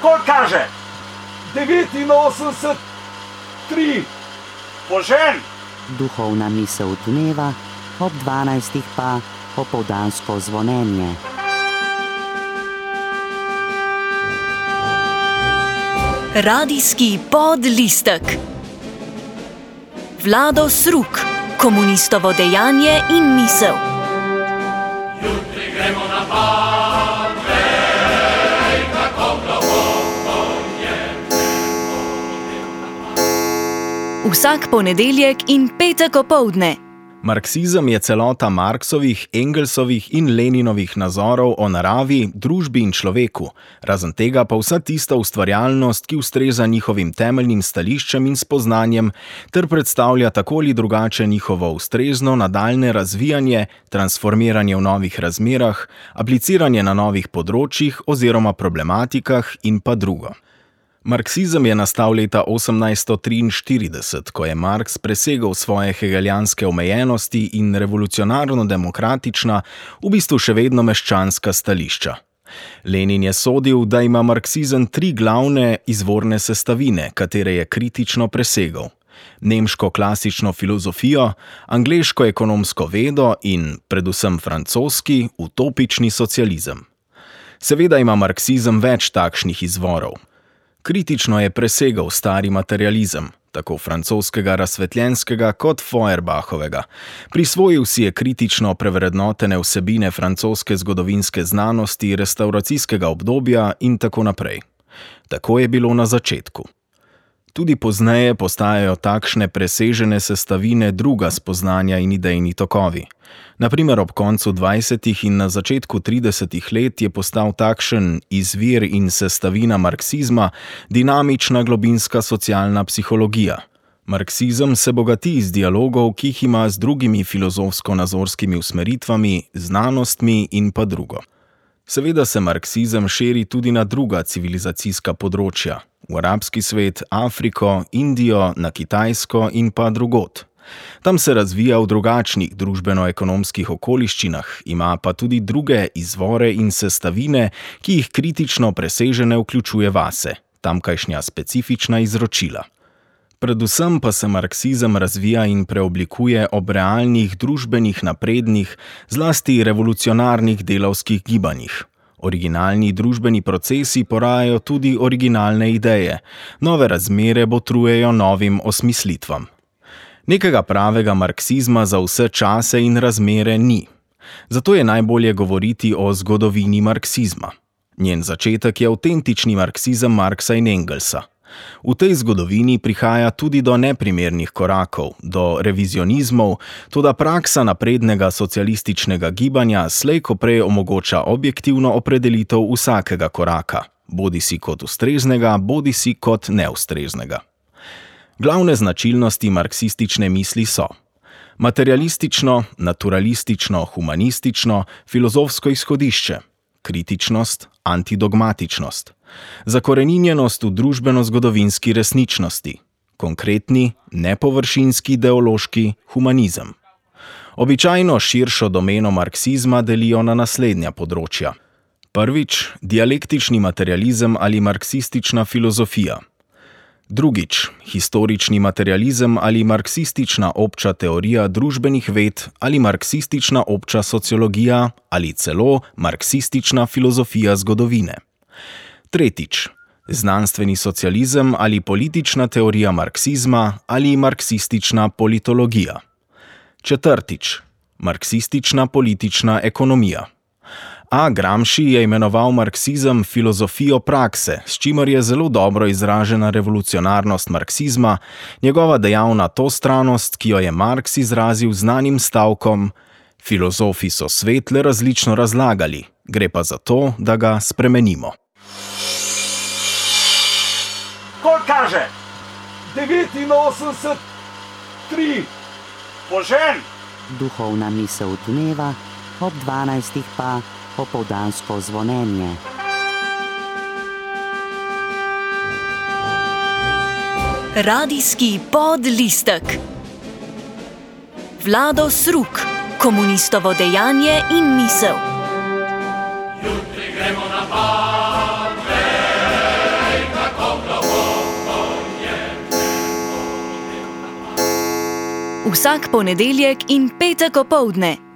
Koliko kaže? 89, 3. Požen! Duhovna misel dneva, ob 12. pa popoldansko zvonjenje. Radijski podlistek. Vlado Sruk, komunistovo dejanje in misel. Jutri gremo na Pave, kako globoko je nebo. Vsak ponedeljek in petek opoldne. Marksizem je celota Marksovih, Engelsovih in Leninovih nazorov o naravi, družbi in človeku, razen tega pa vsa tista ustvarjalnost, ki ustreza njihovim temeljnim stališčem in spoznanjem, ter predstavlja tako ali drugače njihovo ustrezno nadaljne razvijanje, transformiranje v novih razmerah, apliciranje na novih področjih oziroma problematikah in pa drugo. Marksizem je nastal leta 1843, ko je Marks presegal svoje hegelijanske omejenosti in revolucionarno-demokratična, v bistvu še vedno meščanska stališča. Lenin je sodil, da ima marksizem 3 glavne izvorne sestavine, katere je kritično presegal: nemško klasično filozofijo, angleško ekonomsko vedo in, predvsem francoski, utopični socializem. Seveda ima marksizem več takšnih izvorov. Kritično je presegal stari materializem, tako francoskega razsvetljenskega kot Feuerbahovega. Prisvojil si je kritično prevrednotene vsebine francoske zgodovinske znanosti, restavracijskega obdobja in tako naprej. Tako je bilo na začetku. Tudi pozneje postajajo takšne presežene sestavine druga spoznanja in idejni tokovi. Na primer, ob koncu 20. in na začetku 30. let je postal takšen izvir in sestavina marksizma dinamična globinska socialna psihologija. Marksizem se bogati iz dialogov, ki jih ima z drugimi filozofsko-nazorskimi usmeritvami, znanostmi in pa drugo. Seveda se marksizem širi tudi na druga civilizacijska področja, v arabski svet, Afriko, Indijo, na Kitajsko in pa drugod. Tam se razvija v drugačnih družbeno-ekonomskih okoliščinah, ima pa tudi druge izvore in sestavine, ki jih kritično presežene vključuje vase, tamkajšnja specifična izročila. Predvsem pa se marksizem razvija in preoblikuje ob realnih družbenih naprednih, zlasti revolucionarnih delavskih gibanjih. Originalni družbeni procesi porajajo tudi originalne ideje, nove razmere botrujejo novim osmislitvam. Nekega pravega marksizma za vse čase in razmere ni. Zato je najbolje govoriti o zgodovini marksizma. Njen začetek je avtentični marksizem Marksa in Engelsa. V tej zgodovini prihaja tudi do neprimernih korakov, do revizionizmov, toda praksa naprednega socialističnega gibanja slej ko prej omogoča objektivno opredelitev vsakega koraka, bodisi kot ustreznega, bodisi kot neustreznega. Glavne značilnosti marksistične misli so: materialistično, naturalistično, humanistično, filozofsko izhodišče, kritičnost, antidogmatičnost, zakoreninjenost v družbeno-zgodovinski resničnosti, konkretni, nepovršinski ideološki humanizem. Običajno širšo domeno marksizma delijo na naslednja področja. Prvič, dialektični materializem ali marksistična filozofija. Drugič, historični materializem ali marksistična obča teorija družbenih ved ali marksistična obča sociologija ali celo marksistična filozofija zgodovine. Tretjič, znanstveni socializem ali politična teorija marksizma ali marksistična politologija. Četrtič, marksistična politična ekonomija. A. Gramsci je imenoval marksizem filozofijo prakse, s čimer je zelo dobro izražena revolucionarnost marksizma, njegova dejavna tostranost, ki jo je Marks izrazil znanim stavkom: filozofi so svet le različno razlagali, gre pa za to, da ga spremenimo. Koliko kaže? 89, 3. Požen! Duhovna misel dneva, ob 12. pa popoldansko zvonjenje. Radijski podlistek. Vlado Sruk, komunistovo dejanje in misel. Jutri gremo na Pave, Vsak ponedeljek in petek opoldne.